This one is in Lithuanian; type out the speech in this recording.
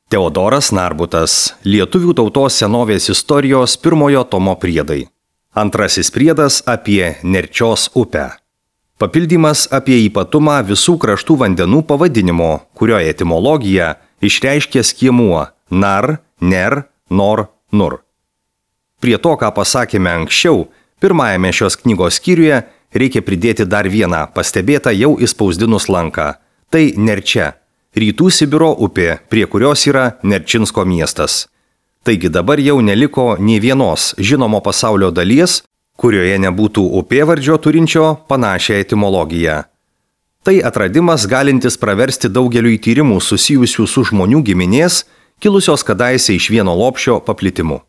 Teodoras Narbutas. Lietuvių tautos senovės istorijos pirmojo tomo priedai. Antrasis priedas apie Nerčios upę. Papildymas apie ypatumą visų kraštų vandenų pavadinimo, kurio etimologija išreiškia skiemuo nar, ner, nor, nur. Prie to, ką pasakėme anksčiau, pirmajame šios knygos skyriuje reikia pridėti dar vieną pastebėtą jau įspausdinus lanką. Tai Nerčia, rytų Sibiro upė, prie kurios yra Nerčinsko miestas. Taigi dabar jau neliko nei vienos žinomo pasaulio dalies, kurioje nebūtų upėvardžio turinčio panašią etimologiją. Tai atradimas galintis praversti daugeliui tyrimų susijusių su žmonių giminės, kilusios kadaise iš vieno lopšio paplitimu.